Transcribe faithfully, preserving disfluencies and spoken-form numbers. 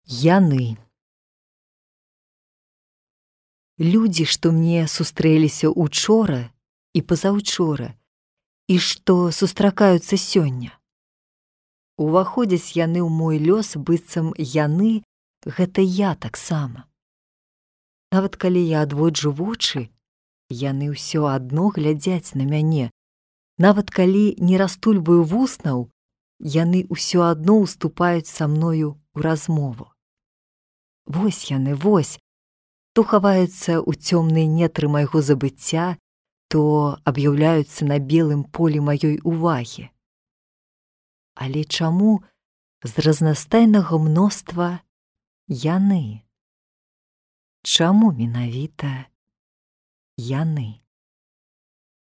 Яны. Людзі, што мне сустрэліся учора і пазаўчора, і што сустракаюцца сёння. Уваходзяць яны ў мой лёс, быццам яны — гэта я таксама. Нават калі я адводжу вочы, яны ўсё адно глядзяць на мяне. Нават калі не растульваю вуснаў, яны ўсё адно ўступаюць са мною ў размову. Вось яны, вось, то хаваюцца ў цёмныя нетры майго забыцця, то аб'яўляюцца на белым полі маёй увагі. Але чаму з разнастайнага мноства яны? Чаму менавіта яны?